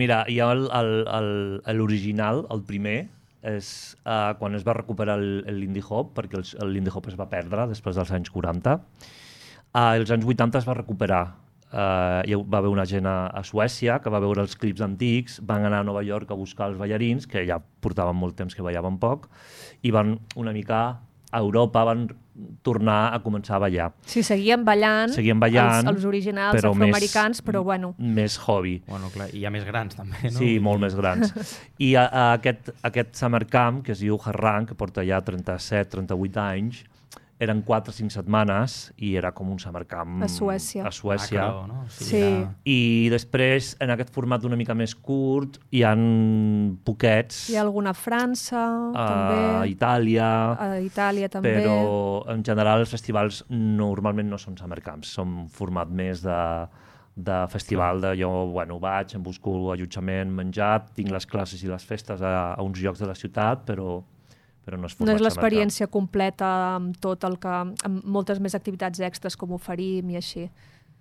Mira, hi ha l'original, el primer, és quan es va recuperar el Lindy Hop, perquè el Lindy Hop es va perdre després dels anys 40. Els anys 80 es va recuperar. Hi va haver una gent a Suècia que va veure els clips antics, van anar a Nova York a buscar els ballarins, que ja portaven molt temps que ballaven poc, i van una mica a Europa, van tornar a començar a ballar. Sí, seguien ballant els originals però afroamericans, però bueno. Més hobby. Bueno, clar, i hi ha més grans també, no? Sí, molt més grans. I aquest Summer Camp, que es diu Harran, que porta ja 37-38 anys, eren 4 o 5 setmanes i era com un Summer Camp a Suècia. Macro, no? Sí. I després, en aquest format una mica més curt, hi ha poquets. Hi ha alguna a França, també. A Itàlia. A Itàlia, també. Però, en general, els festivals normalment no són Summer Camps, són format més de festival, de jo vaig, em busco allotjament, menjat, tinc les classes i les festes a uns llocs de la ciutat, però no és format. No és l'experiència completa amb tot el que, amb moltes més activitats extres com oferim i així.